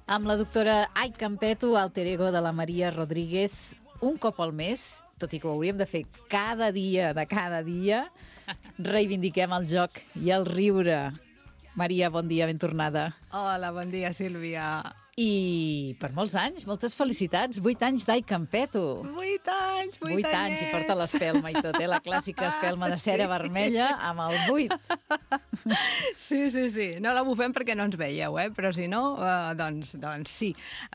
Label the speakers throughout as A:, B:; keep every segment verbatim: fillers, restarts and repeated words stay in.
A: Amb la doctora Ai Campeto, alter ego de la Maria Rodríguez, un cop al mes, tot i que ho hauríem de fer cada dia de cada dia, reivindiquem el joc i el riure. Maria, bon dia, ben tornada.
B: Hola, bon dia, Sílvia.
A: I per molts anys, moltes felicitats. Vuit anys d'Ai Campeto.
B: Vuit anys, vuit,
A: Vuit anys, i porta l'espelma i tot, eh? La clàssica espelma de cera sí. vermella amb el vuit.
B: Sí, sí, sí. No la bufem perquè no ens veieu, eh? Però si no, uh, doncs, doncs sí.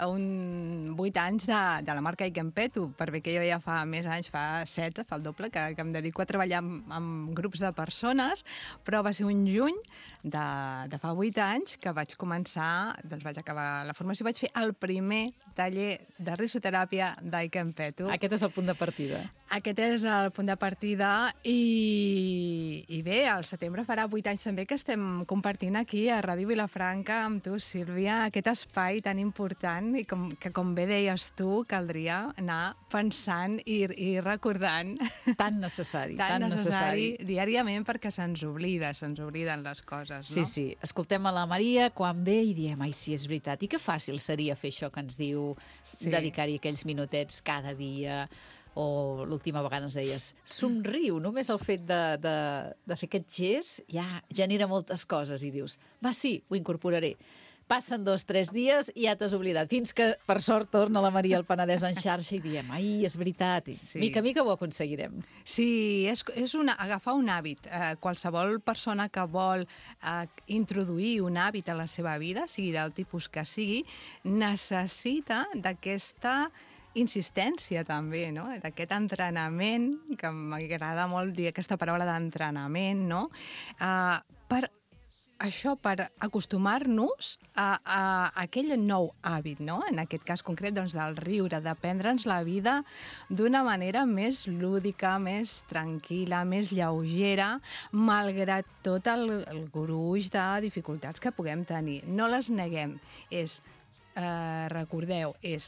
B: Un vuit anys de, de la marca Ai Campeto, perquè jo ja fa més anys, fa setze, fa el doble, que, que em dedico a treballar amb, amb grups de persones, però va ser un juny de, de fa vuit anys que vaig començar, doncs vaig acabar la formació i vaig fer el primer taller de risoteràpia d'Ai Campeto.
A: Aquest és el punt de partida.
B: Aquest és el punt de partida i, i bé, al setembre farà vuit anys també que estem compartint aquí a Ràdio Vilafranca amb tu, Sílvia, aquest espai tan important i com, que, com bé deies tu, caldria anar pensant i, i recordant.
A: Tan necessari,
B: tan,
A: tan
B: necessari,
A: necessari.
B: Diàriament perquè se'ns oblida, se'ns obliden les coses, no?
A: Sí, sí. Escoltem a la Maria quan ve i diem, ai, sí, és veritat. I que fàcil seria fer això que ens diu, sí. dedicar-hi aquells minutets cada dia, o l'última vegada ens deies, somriu, només el fet de, de, de fer aquest gest ja genera moltes coses i dius, va, sí, ho incorporaré. Passen dos, tres dies i ja t'has oblidat, fins que, per sort, torna la Maria al Penedès en xarxa i diem, ai, és veritat, i sí. mica a mica ho aconseguirem.
B: Sí, és, és una, agafar un hàbit. Eh, qualsevol persona que vol eh, introduir un hàbit a la seva vida, sigui del tipus que sigui, necessita d'aquesta insistència també, no? D'aquest entrenament, que m'agrada molt dir aquesta paraula d'entrenament, no? Uh, per això, per acostumar-nos a, a, a aquell nou hàbit, no? En aquest cas concret, doncs, del riure, de prendre'ns la vida d'una manera més lúdica, més tranquil·la, més lleugera, malgrat tot el, el gruix de dificultats que puguem tenir. No les neguem. És, eh, recordeu, és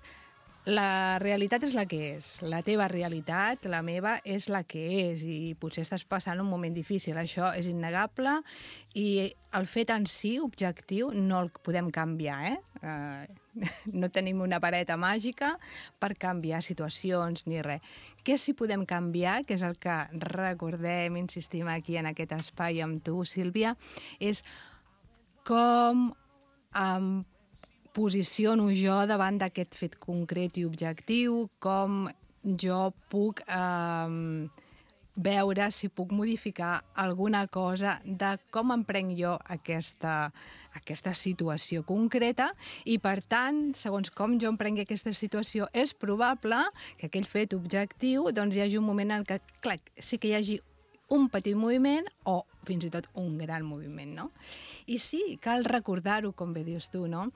B: la realitat és la que és. La teva realitat, la meva, és la que és i potser estàs passant un moment difícil. Això és innegable i el fet en si, objectiu, no el podem canviar, eh? Uh, no tenim una vareta màgica per canviar situacions ni res. Què sí podem canviar, que és el que recordem, insistim aquí en aquest espai amb tu, Sílvia, és com um, posiciono jo davant d'aquest fet concret i objectiu, com jo puc eh, veure si puc modificar alguna cosa de com em prenc jo aquesta, aquesta situació concreta i, per tant, segons com jo em prengui aquesta situació, és probable que aquell fet objectiu doncs, hi hagi un moment en què, clar, sí que hi hagi un petit moviment o fins i tot un gran moviment, no? I sí, cal recordar-ho, com bé dius tu, no?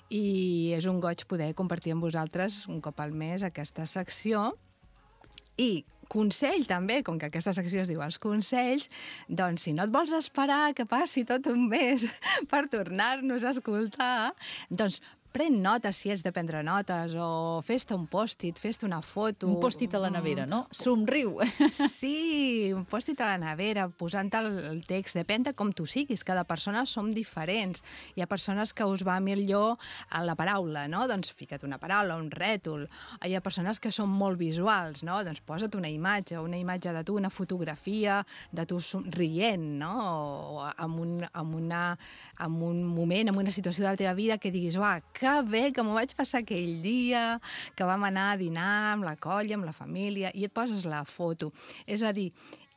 B: I és un goig poder compartir amb vosaltres un cop al mes aquesta secció. I consell també, com que aquesta secció es diu Els Consells, doncs si no et vols esperar que passi tot un mes per tornar-nos a escoltar, doncs pren notes si és de prendre notes, o fes-te un pòstit, fes-te una foto.
A: Un pòstit a la nevera, no? Somriu.
B: Sí, un pòstit a la nevera, posant el text. Depèn de com tu siguis. Cada persona som diferents. Hi ha persones que us va millor a la paraula, no? Doncs fica't una paraula, un rètol. Hi ha persones que són molt visuals, no? Doncs posa't una imatge, una imatge de tu, una fotografia de tu rient, no? O amb un, amb una, amb un moment, amb una situació de la teva vida que diguis, uah, que bé que m'ho vaig passar aquell dia, que vam anar a dinar amb la colla, amb la família, i et poses la foto. És a dir,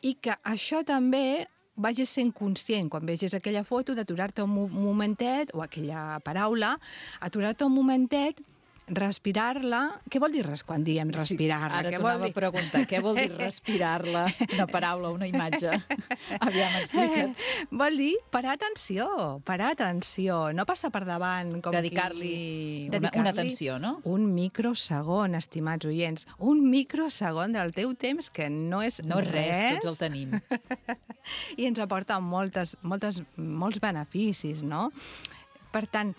B: i que això també vagis sent conscient, quan vegis aquella foto, d'aturar-te un momentet, o aquella paraula, aturar-te un momentet, respirar-la. Què vol dir res quan diem respirar-la?
A: Sí, ara t'anava a preguntar, què vol dir respirar-la? Una paraula, una imatge. Aviam, explica't.
B: Vol dir parar atenció, parar atenció, no passar per davant.
A: Dedicar-li
B: qui...
A: una,
B: Dedicar
A: una atenció, no?
B: Un microsegon, estimats oients. Un microsegon del teu temps, que no és
A: no
B: res.
A: No res, tots el tenim.
B: I ens aporta moltes, moltes, molts beneficis, no? Per tant,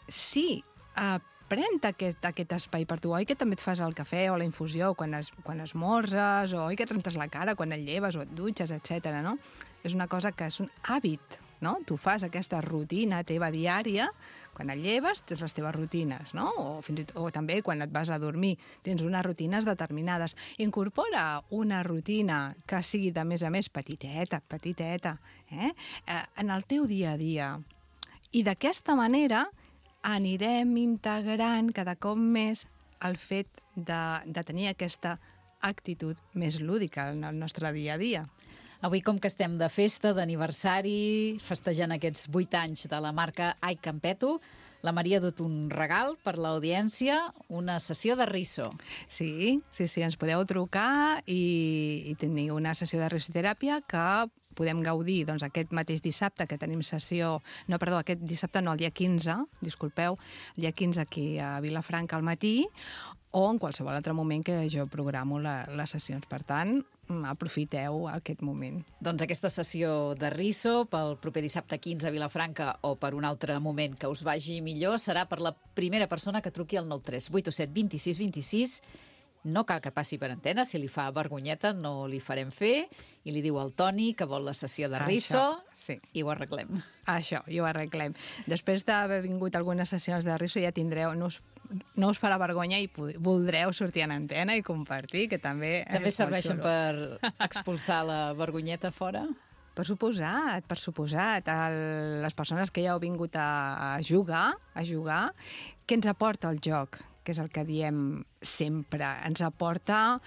B: sí, uh, pren aquest, aquest espai per tu. Oi que també et fas el cafè o la infusió quan, es, quan esmorzes, o oi que et rentes la cara quan et lleves o et dutxes, etcètera, no? És una cosa que és un hàbit, no? Tu fas aquesta rutina teva diària, quan et lleves tens les teves rutines, no? O, fins i tot, o també quan et vas a dormir tens unes rutines determinades. Incorpora una rutina que sigui, de més a més, petiteta, petiteta, eh? Eh, en el teu dia a dia. I d'aquesta manera anirem integrant cada cop més el fet de, de tenir aquesta actitud més lúdica en el nostre dia a dia.
A: Avui, com que estem de festa, d'aniversari, festejant aquests vuit anys de la marca Ai Campeto, la Maria ha dut un regal per l'audiència, una sessió de riso.
B: Sí, sí, sí, ens podeu trucar i, i tenir una sessió de risoteràpia que podem gaudir doncs, aquest mateix dissabte que tenim sessió... No, perdó, aquest dissabte no, el dia quinze, disculpeu, el dia quinze aquí a Vilafranca al matí, o en qualsevol altre moment que jo programo la, les sessions. Per tant, aprofiteu aquest moment.
A: Doncs aquesta sessió de riso pel proper dissabte quinze a Vilafranca o per un altre moment que us vagi millor serà per la primera persona que truqui al nou tres vuit set vint sis vint sis. No cal que passi per antena, si li fa vergonyeta no li farem fer, i li diu al Toni que vol la sessió de riso.
B: Això, sí.
A: I ho arreglem.
B: Això, i ho arreglem. Després d'haver vingut algunes sessions de riso ja tindreu... No us, no us farà vergonya i voldreu sortir en antena i compartir, que també...
A: També serveixen per expulsar la vergonyeta fora?
B: Per suposat, per suposat. El, les persones que ja heu vingut a, a jugar, a jugar, què ens aporta el joc? Que és el que diem sempre. Ens aporta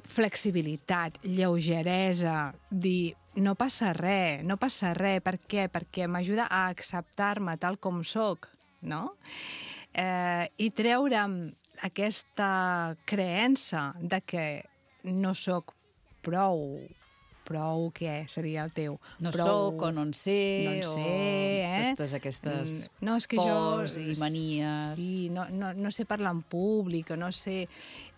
B: flexibilitat, lleugeresa, dir no passa res, no passa res. Per què? Perquè m'ajuda a acceptar-me tal com sóc, no? Eh, I treure'm aquesta creença de que no sóc prou... Prou, què seria el teu?
A: No
B: prou...
A: soc o no en sé,
B: no en sé,
A: o
B: eh?
A: totes aquestes
B: no, és que
A: pors
B: jo...
A: i manies.
B: Sí, no, no, no sé parlar en públic, no sé...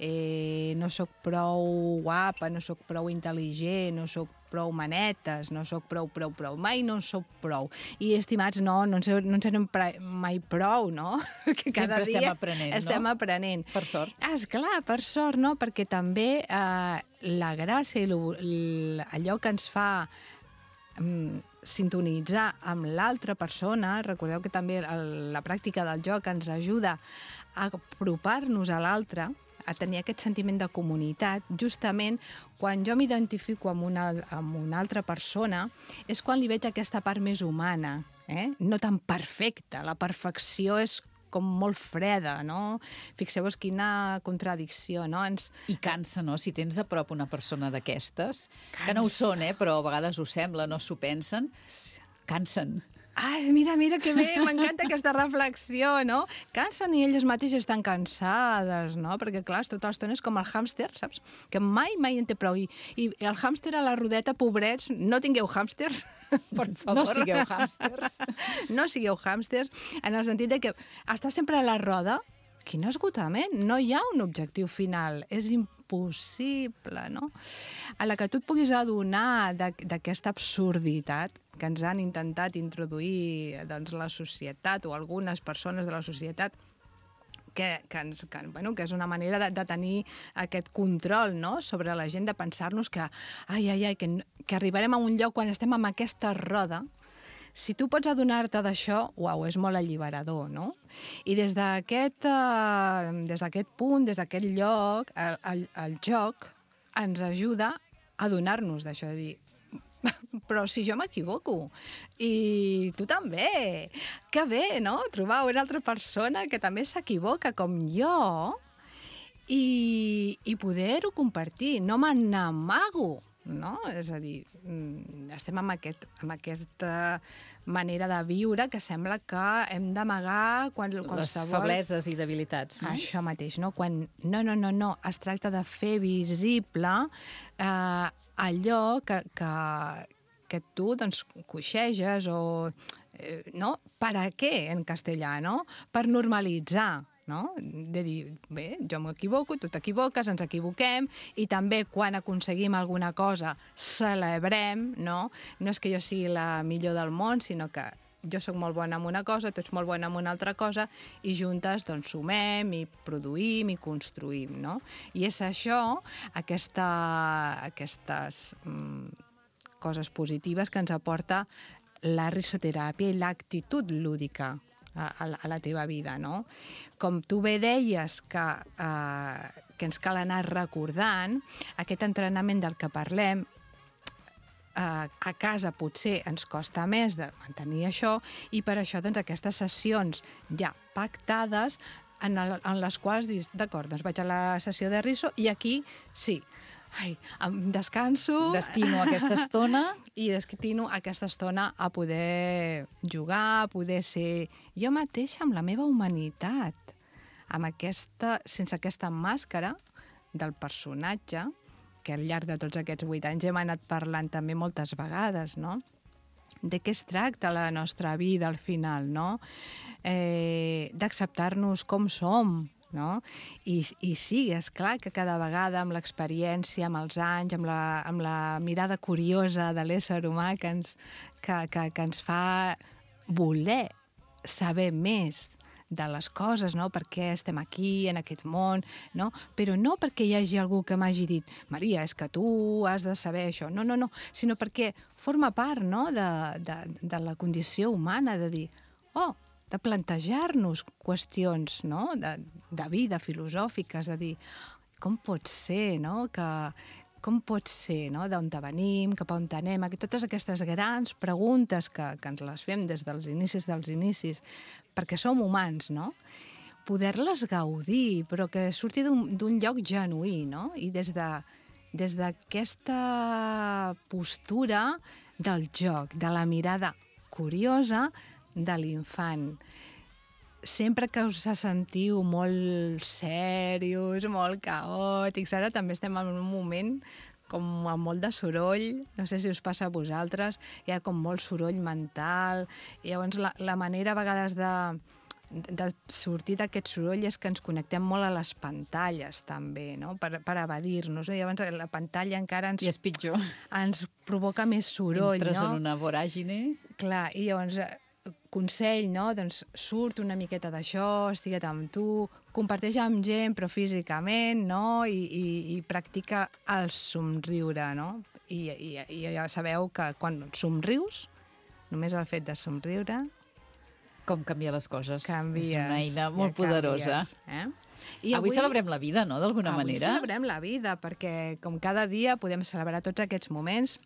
B: Eh, no sóc prou guapa, no sóc prou intel·ligent, no sóc prou manetes, no sóc prou, prou, prou. Mai no sóc prou. I, estimats, no, no en serem, no en serem mai prou, no? Perquè cada
A: Sempre
B: dia
A: estem aprenent,
B: estem
A: no?
B: aprenent.
A: Per sort.
B: Ah, esclar, per sort, no? Perquè també eh, la gràcia i allò que ens fa um, sintonitzar amb l'altra persona, recordeu que també el, la pràctica del joc ens ajuda a apropar-nos a l'altre, a tenir aquest sentiment de comunitat, justament quan jo m'identifico amb una, amb una altra persona, és quan li veig aquesta part més humana, eh? No tan perfecta. La perfecció és com molt freda, no? Fixeu-vos quina contradicció, no? Ens...
A: I cansa, no? Si tens a prop una persona d'aquestes, que no ho són, eh? Però a vegades ho sembla, no s'ho pensen, cansen.
B: Ai, mira, mira que bé, m'encanta aquesta reflexió, no? Cansen i elles mateixes estan cansades, no? Perquè, clar, tota l'estona és com el hàmster, saps? Que mai, mai en té prou. I, i el hàmster a la rodeta, pobrets, no tingueu hàmsters, per favor.
A: No sigueu hàmsters.
B: No sigueu hàmsters, en el sentit de que està sempre a la roda. Quin esgotament! No hi ha un objectiu final. És impossible, no? A la que tu et puguis adonar d'aquesta absurditat que ens han intentat introduir doncs, la societat o algunes persones de la societat que, que, ens, que, bueno, que és una manera de, de tenir aquest control, no?, sobre la gent, de pensar-nos que, ai, ai, ai, que, que arribarem a un lloc quan estem en aquesta roda. Si tu pots adonar-te d'això, uau, és molt alliberador, no? I des d'aquest uh, des d'aquest punt, des d'aquest lloc, el, el, el joc ens ajuda a adonar-nos d'això, de dir, però si jo m'equivoco, i tu també, que bé, no?, trobar una altra persona que també s'equivoca com jo i, i poder-ho compartir, no me n'amago, no? És a dir, estem amb, aquest, amb aquesta manera de viure que sembla que hem d'amagar quan qualsevol...
A: Les febleses i debilitats, no?
B: Això mateix, no? Quan no, no, no, no, es tracta de fer visible eh, allò que, que, que tu, doncs, coixeges o... Eh, no? Per a què, en castellà, no? Per normalitzar, no? De dir, bé, jo m'equivoco, tu t'equivoques, ens equivoquem, i també quan aconseguim alguna cosa celebrem, no? No és que jo sigui la millor del món, sinó que jo sóc molt bona en una cosa, tu ets molt bona en una altra cosa, i juntes doncs sumem i produïm i construïm, no? I és això, aquesta, aquestes mm, coses positives que ens aporta la risoteràpia i l'actitud lúdica a, a, a la teva vida, no? Com tu bé deies que, eh, que ens cal anar recordant, aquest entrenament del que parlem, eh, a casa potser ens costa més de mantenir això, i per això doncs, aquestes sessions ja pactades en, el, en les quals dius, d'acord, doncs vaig a la sessió de riso i aquí sí, ai, em descanso...
A: Destino aquesta estona...
B: I destino aquesta estona a poder jugar, a poder ser jo mateixa amb la meva humanitat, amb aquesta, sense aquesta màscara del personatge, que al llarg de tots aquests vuit anys hem anat parlant també moltes vegades, no? De què es tracta la nostra vida al final, no? Eh, d'acceptar-nos com som, no? I, i sí, és clar que cada vegada amb l'experiència, amb els anys, amb la, amb la mirada curiosa de l'ésser humà que ens, que, que, que ens fa voler saber més de les coses, no? Per què estem aquí, en aquest món, no? Però no perquè hi hagi algú que m'hagi dit Maria, és que tu has de saber això. No, no, no, sinó perquè forma part, no? de, de, de la condició humana, de dir, oh, de plantejar-nos qüestions, no? de, de vida, filosòfiques, de dir com pot ser, no? que, com pot ser, no? d'on venim, cap a on anem, totes aquestes grans preguntes que, que ens les fem des dels inicis dels inicis, perquè som humans, no? Poder-les gaudir, però que surti d'un lloc genuí, no? I des de des d'aquesta postura del joc, de la mirada curiosa de l'infant. Sempre que us sentiu molt serios, molt caòtics, ara també estem en un moment com amb molt de soroll, no sé si us passa a vosaltres, hi ha com molt soroll mental, i llavors la, la manera a vegades de, de sortir d'aquest soroll és que ens connectem molt a les pantalles també, no? per, per evadir-nos, no? I llavors la pantalla encara ens,
A: I és pitjor.
B: ens provoca més soroll.
A: Entres
B: no?
A: en una voràgine.
B: Clar, i llavors consell, no? Doncs surt una miqueta d'això, estigua't amb tu, comparteix amb gent, però físicament, no? I, i, i practica el somriure, no? I, i, I ja sabeu que quan somrius, només el fet de somriure...
A: Com canvia les coses.
B: Canvies.
A: És una eina molt
B: ja
A: poderosa.
B: Canvies, eh?
A: I avui, avui celebrem la vida, no?, d'alguna manera.
B: Avui celebrem la vida, perquè com cada dia podem celebrar tots aquests moments,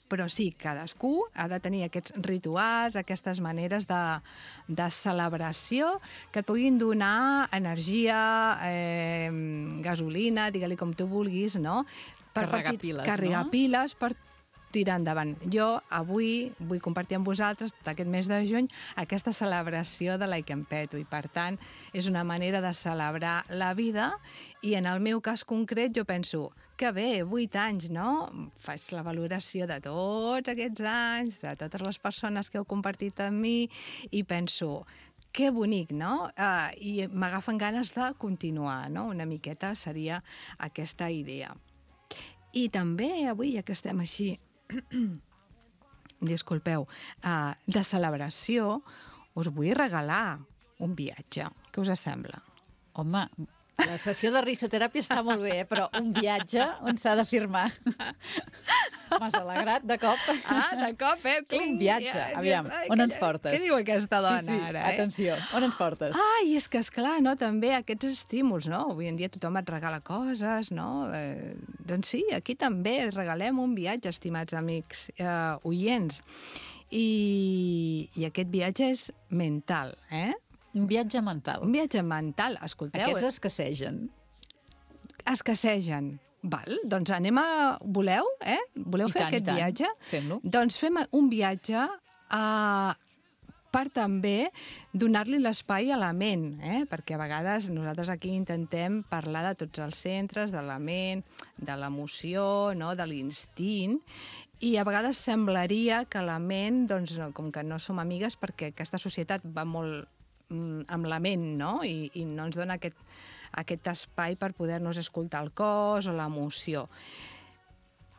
B: però sí, cadascú ha de tenir aquests rituals, aquestes maneres de, de celebració que et puguin donar energia, eh, gasolina, digue-li com tu vulguis, no?
A: Per carregar piles,
B: carregar
A: no?
B: piles per tirar endavant. Jo avui vull compartir amb vosaltres tot aquest mes de juny aquesta celebració de l'Ai que em peto, i per tant és una manera de celebrar la vida, i en el meu cas concret jo penso que bé, vuit anys, no? Faig la valoració de tots aquests anys, de totes les persones que heu compartit amb mi, i penso que bonic, no? Uh, I m'agafen ganes de continuar, no? Una miqueta seria aquesta idea. I també avui, ja que estem així, disculpeu, uh, de celebració, us vull regalar un viatge. Què us sembla?
A: Home, la sessió de risoteràpia està molt bé, però un viatge on s'ha de firmar. M'has alegrat de cop.
B: Ah, de cop, eh?
A: Un viatge, aviam,
B: Ai,
A: on
B: que-
A: ens portes?
B: Què diu aquesta dona
A: sí, sí,
B: ara, eh?
A: atenció, on ens portes?
B: Ai, és que, esclar, no? També aquests estímuls, no? Avui en dia tothom et regala coses, no? Eh, doncs sí, aquí també regalem un viatge, estimats amics eh, oients. I, I aquest viatge és mental, eh?
A: Un viatge mental.
B: Un viatge mental, escolteu.
A: Aquests escassegen.
B: Escassegen. Val, doncs anem a... Voleu, eh? Voleu
A: I
B: fer
A: tant,
B: aquest
A: i tant.
B: viatge?
A: Fem-lo.
B: Doncs fem un viatge a... per també donar-li l'espai a la ment, eh? Perquè a vegades nosaltres aquí intentem parlar de tots els centres, de la ment, de l'emoció, no? De l'instint, i a vegades semblaria que la ment, doncs, com que no som amigues, perquè aquesta societat va molt mm, amb la ment, no? I, i no ens dona aquest, aquest espai per poder-nos escoltar el cos o l'emoció.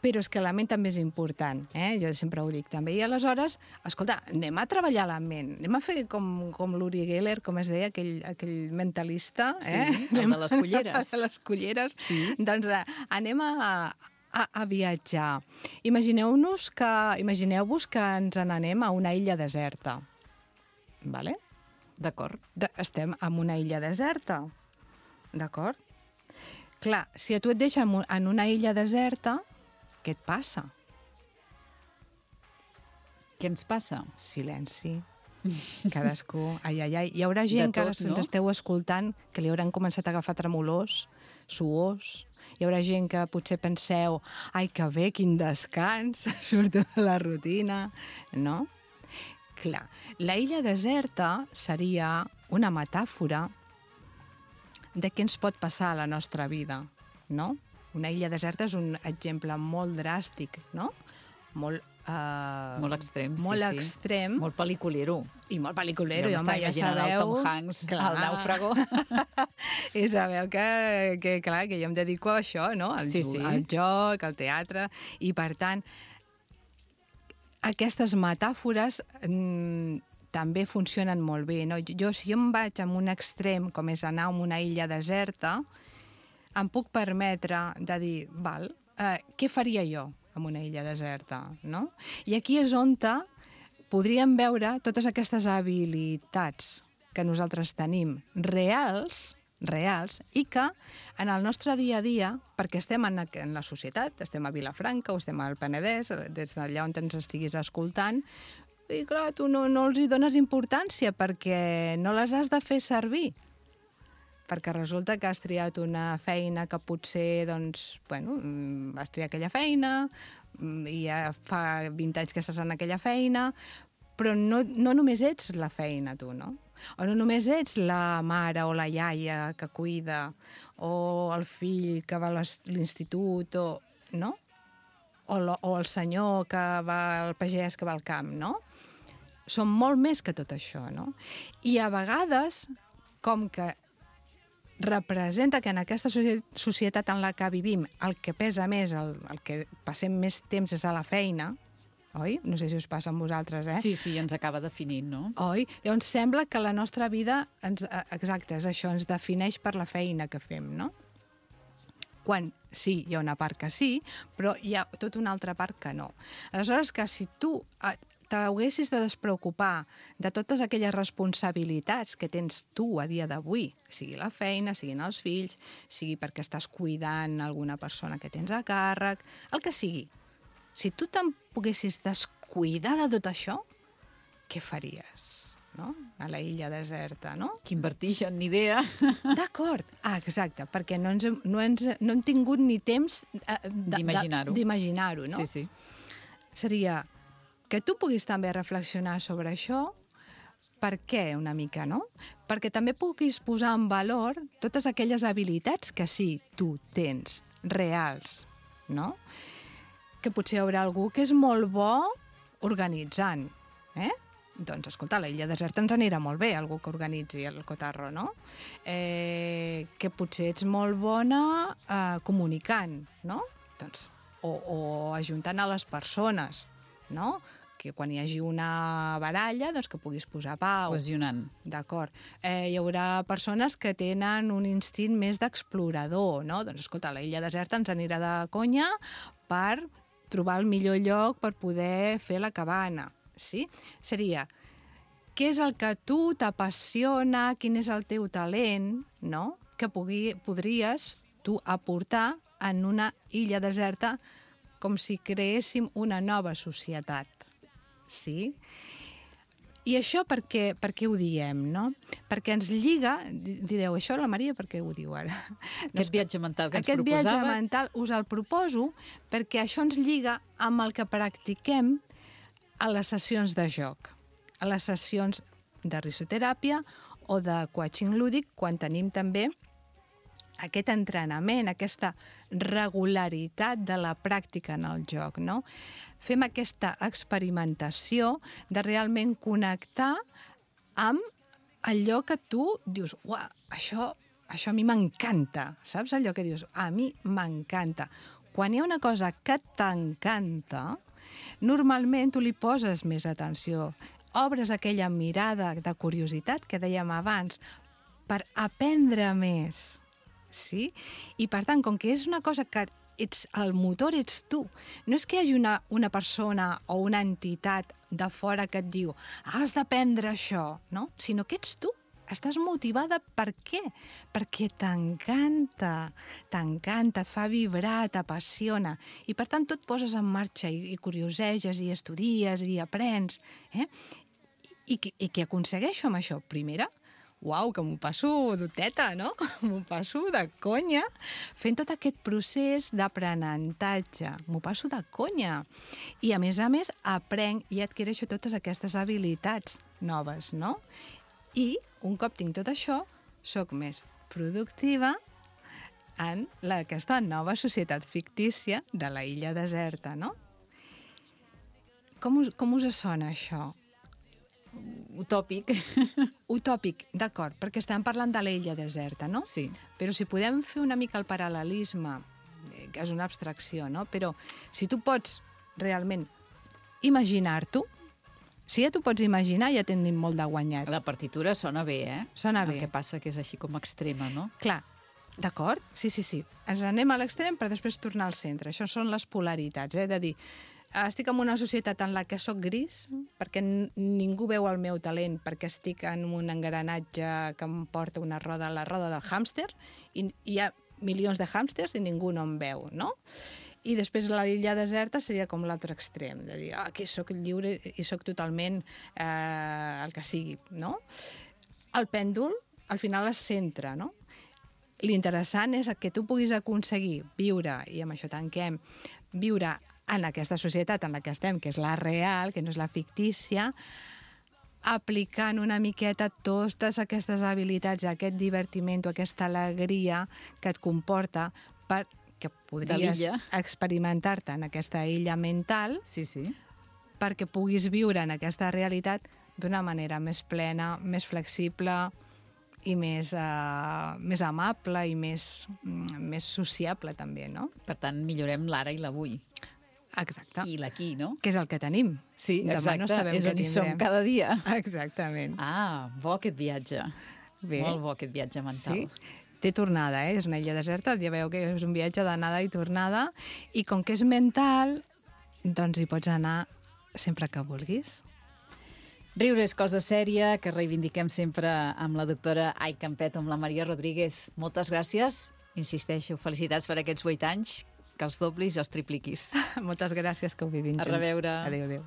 B: Però és que la ment també és important, eh? Jo sempre ho dic també. I aleshores, escolta, anem a treballar la ment, anem a fer com, com l'Uri Geller, com es deia, aquell, aquell mentalista, eh?
A: Sí, el de les culleres.
B: de les culleres.
A: Sí.
B: Doncs eh, anem a, a, a viatjar. Imagineu-nos que, imagineu-vos que ens n'anem a una illa deserta. Vale?
A: D'acord.
B: De, estem en una illa deserta. D'acord? Clar, si a tu et deixen en una illa deserta, què et passa?
A: Què ens passa?
B: Silenci. Cadascú... Ai, ai, ai. Hi haurà gent tot, que no? ens esteu escoltant que li hauran començat a agafar tremolors, suors. Hi haurà gent que potser penseu ai, que bé, quin descans, surto de la rutina. No? Clar, la illa deserta seria una metàfora de què ens pot passar a la nostra vida, no? Una illa deserta és un exemple molt dràstic, no? Molt... Uh,
A: molt extrem,
B: molt
A: sí,
B: extrem.
A: Sí. Molt pel·liculero.
B: I molt pel·liculero.
A: Jo m'estava imaginant
B: ja sabeu,
A: el Tom Hanks, clar, el nàufrago.
B: I sabeu que, que, clar, que jo em dedico a això, no? Al,
A: sí, sí.
B: al joc, al teatre, i per tant, aquestes metàfores mm, també funcionen molt bé, no? Jo, si jo em vaig a un extrem, com és anar a una illa deserta, em puc permetre de dir, val, eh, què faria jo en una illa deserta, no? I aquí és on podríem veure totes aquestes habilitats que nosaltres tenim reals, reals, i que en el nostre dia a dia, perquè estem en, en la societat, estem a Vilafranca o estem al Penedès, des d'allà on ens estiguis escoltant, i clar, tu no, no els hi dones importància perquè no les has de fer servir. Perquè resulta que has triat una feina que potser, doncs, bueno, has triat aquella feina i ja fa vint anys que estàs en aquella feina, però no, no només ets la feina, tu, no? O no només ets la mare o la iaia que cuida, o el fill que va a l'institut, o, no? O, lo, o el senyor que va al pagès que va al camp, no? Som molt més que tot això, no? I a vegades, com que representa que en aquesta societat en la que vivim el que pesa més, el, el que passem més temps és a la feina, oi? No sé si us passa amb vosaltres, eh?
A: Sí, sí, ens acaba definint, no?
B: Oi? Llavors sembla que la nostra vida, ens, exacte, és això, ens defineix per la feina que fem, no? Quan sí, hi ha una part que sí, però hi ha tota una altra part que no. Aleshores, que si tu t'haguessis de despreocupar de totes aquelles responsabilitats que tens tu a dia d'avui, sigui la feina, siguin els fills, sigui perquè estàs cuidant alguna persona que tens a càrrec, el que sigui. Si tu te'n poguessis descuidar de tot això, què faries? No? A la illa deserta, no?
A: Quin vertigen, ni idea.
B: D'acord. Ah, exacte, perquè no, ens, no, ens, no hem tingut ni temps eh,
A: d'imaginar-ho.
B: D'imaginar-ho, no?
A: Sí, sí.
B: Seria que tu puguis també reflexionar sobre això, per què una mica, no? Perquè també puguis posar en valor totes aquelles habilitats que sí, tu tens, reals, no? Que potser hi haurà algú que és molt bo organitzant, eh? Doncs, escolta, a la illa deserta ens anirà molt bé, algú que organitzi el cotarro, no? Eh, que potser ets molt bona eh, comunicant, no? Doncs, o, o ajuntant a les persones, no? Que quan hi hagi una baralla, doncs que puguis posar pau.
A: Cohesionant.
B: D'acord. Eh, hi haurà persones que tenen un instint més d'explorador, no? Doncs, escolta, a la illa deserta ens anirà de conya per trobar el millor lloc per poder fer la cabana. Sí? Seria, què és el que tu t'apassiona, quin és el teu talent, no? Que pugui, podries tu aportar en una illa deserta com si creéssim una nova societat. Sí? I això per què, per què ho diem, no? Perquè ens lliga, direu, això la Maria per què ho diu ara?
A: Aquest viatge mental que ens
B: Aquest
A: proposava...
B: Aquest viatge mental us el proposo perquè això ens lliga amb el que practiquem a les sessions de joc, a les sessions de risoteràpia o de coaching lúdic, quan tenim també aquest entrenament, aquesta regularitat de la pràctica en el joc, no? Fem aquesta experimentació de realment connectar amb allò que tu dius, uah, això, això a mi m'encanta, saps allò que dius? A mi m'encanta. Quan hi ha una cosa que t'encanta, normalment tu li poses més atenció, obres aquella mirada de curiositat que dèiem abans per aprendre més, sí? I per tant, com que és una cosa que ets, el motor ets tu. No és que hi hagi una, una persona o una entitat de fora que et diu has d'aprendre això, no? Sinó que ets tu. Estàs motivada per què? Perquè t'encanta, t'encanta, et fa vibrar, t'apassiona. I per tant tot poses en marxa i, i curioseges i estudies i aprens. Eh? I, I, I què aconsegueixo amb això? Primera, uau, que m'ho passo d'uteta, no? M'ho passo de conya fent tot aquest procés d'aprenentatge. M'ho passo de conya. I a més a més aprenc i adquireixo totes aquestes habilitats noves, no? I un cop tinc tot això, sóc més productiva en la, aquesta nova societat fictícia de la illa deserta, no? Com us, com us sona això?
A: Utòpic.
B: Utòpic, d'acord, perquè estem parlant de la illa deserta, no?
A: Sí.
B: Però si podem fer una mica el paral·lelisme, que és una abstracció, no? Però si tu pots realment imaginar-t'ho, si ja t'ho pots imaginar, ja tenim molt de guanyat.
A: La partitura sona bé, eh?
B: Sona bé.
A: El que passa que és així com extrema, no?
B: Clar, d'acord? Sí, sí, sí. Ens anem a l'extrem per després tornar al centre. Això són les polaritats, eh? De dir, estic en una societat en la que sóc gris, perquè ningú veu el meu talent, perquè estic en un engranatge que em porta una roda, la roda del hàmster, i hi ha milions de hàmsters i ningú no em veu, no? I després la illa deserta seria com l'altre extrem, de dir, ah, aquí sóc lliure i sóc totalment eh, el que sigui, no? El pèndol, al final, es centra, no? L'interessant és que tu puguis aconseguir viure, i amb això tanquem, viure en aquesta societat en la que estem, que és la real, que no és la fictícia, aplicant una miqueta totes aquestes habilitats, aquest divertiment, aquesta alegria que et comporta per que podries experimentar-te en aquesta illa mental,
A: sí, sí,
B: perquè puguis viure en aquesta realitat d'una manera més plena, més flexible i més, uh, més amable i més, mm, més sociable també, no?
A: Per tant, millorem l'ara i l'avui.
B: Exacte.
A: I l'aquí, no?
B: Que és el que tenim.
A: Sí,
B: demà
A: exacte.
B: No sabem
A: és on hi som cada dia.
B: Exactament.
A: Ah, bo aquest viatge.
B: Bé.
A: Molt bo aquest viatge mental.
B: Sí. Té tornada, eh? És una illa deserta, ja veieu que és un viatge d'anada i tornada, i com que és mental, doncs hi pots anar sempre que vulguis.
A: Riure és cosa sèria, que reivindiquem sempre amb la doctora Ai Campet, amb la Maria Rodríguez. Moltes gràcies, insisteixo, felicitats per aquests vuit anys, que els doblis i els tripliquis.
B: Moltes gràcies, que ho vivim junts.
A: A reveure.
B: Adéu, adéu.